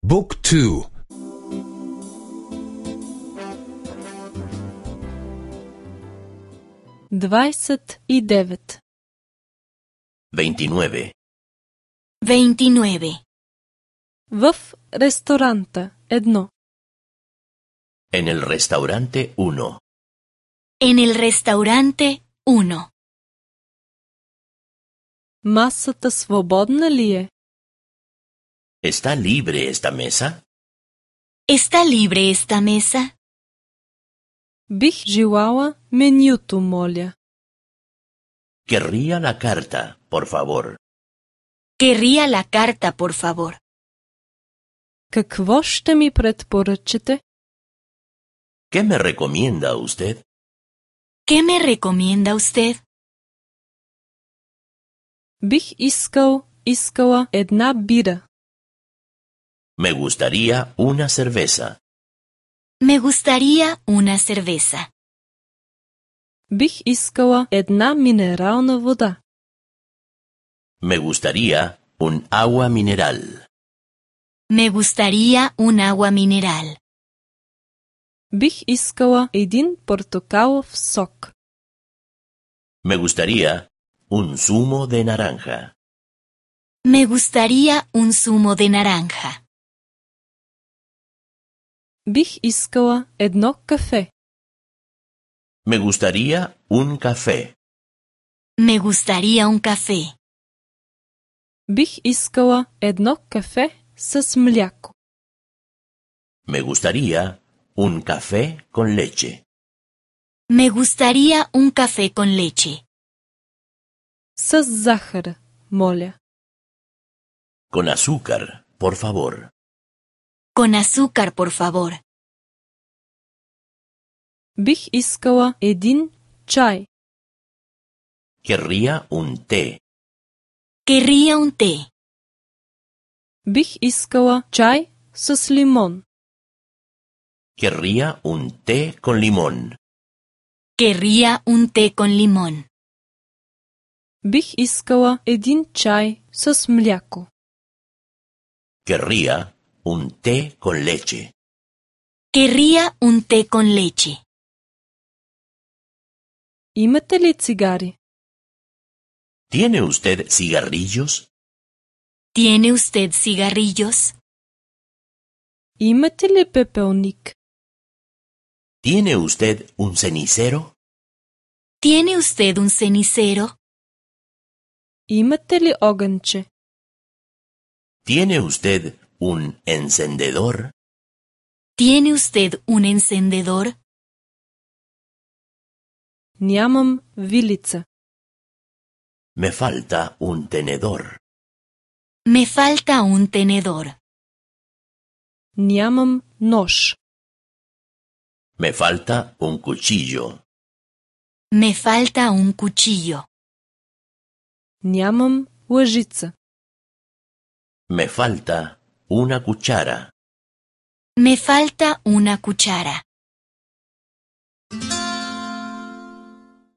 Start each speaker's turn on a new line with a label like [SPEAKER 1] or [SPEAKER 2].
[SPEAKER 1] Book 2.
[SPEAKER 2] 29.
[SPEAKER 3] 29.
[SPEAKER 4] 29.
[SPEAKER 2] В ресторанта 1.
[SPEAKER 3] En el restaurante 1.
[SPEAKER 4] En el restaurante 1.
[SPEAKER 2] Масата свободна ли е?
[SPEAKER 3] ¿Está libre esta mesa?
[SPEAKER 4] ¿Está libre esta mesa?
[SPEAKER 2] Бих желала менюто, моля.
[SPEAKER 3] Querría la carta, por favor.
[SPEAKER 4] Querría la carta, por favor.
[SPEAKER 2] Какво ще ми предпоръчате?
[SPEAKER 3] ¿Qué me recomienda usted?
[SPEAKER 4] ¿Qué me recomienda usted?
[SPEAKER 2] Бих искала една бира.
[SPEAKER 3] Me gustaría una cerveza.
[SPEAKER 4] Me gustaría una cerveza.
[SPEAKER 2] Бих искала една минерална вода.
[SPEAKER 3] Me gustaría un agua mineral.
[SPEAKER 4] Me gustaría un agua mineral.
[SPEAKER 2] Бих искала един портокалов сок.
[SPEAKER 3] Me gustaría un zumo de naranja.
[SPEAKER 4] Me gustaría un zumo de naranja.
[SPEAKER 2] Бих искала едно кафе.
[SPEAKER 3] Me gustaría un café.
[SPEAKER 4] Me gustaría un café.
[SPEAKER 2] Бих искала едно кафе с мляко.
[SPEAKER 3] Me gustaría un café con leche.
[SPEAKER 4] Me gustaría un café con leche.
[SPEAKER 2] С захар, моля.
[SPEAKER 3] Con azúcar, por favor.
[SPEAKER 4] Con azúcar, por favor.
[SPEAKER 2] Бих искала един чай.
[SPEAKER 3] Querría un té.
[SPEAKER 4] Querría un té.
[SPEAKER 2] Бих искала чай с лимон.
[SPEAKER 3] Querría un té con limón.
[SPEAKER 4] Querría un té con limón.
[SPEAKER 2] Бих искала един чай с мляко.
[SPEAKER 3] Querría un té con leche.
[SPEAKER 4] Querría un té con leche.
[SPEAKER 2] Имате ли цигари?
[SPEAKER 3] ¿Tiene usted cigarrillos?
[SPEAKER 4] ¿Tiene usted cigarrillos?
[SPEAKER 2] Имате ли пепелник?
[SPEAKER 3] ¿Tiene usted un cenicero?
[SPEAKER 4] ¿Tiene usted un cenicero?
[SPEAKER 2] Имате ли огънче?
[SPEAKER 3] ¿Tiene usted un encendedor?
[SPEAKER 4] ¿Tiene usted un encendedor?
[SPEAKER 2] Нямам вилица.
[SPEAKER 3] Me falta un tenedor.
[SPEAKER 4] Me falta un tenedor.
[SPEAKER 2] Нямам нож.
[SPEAKER 3] Me falta un cuchillo.
[SPEAKER 4] Me falta un cuchillo.
[SPEAKER 2] Нямам лъжица.
[SPEAKER 3] Me falta una cuchara.
[SPEAKER 4] Me falta una cuchara.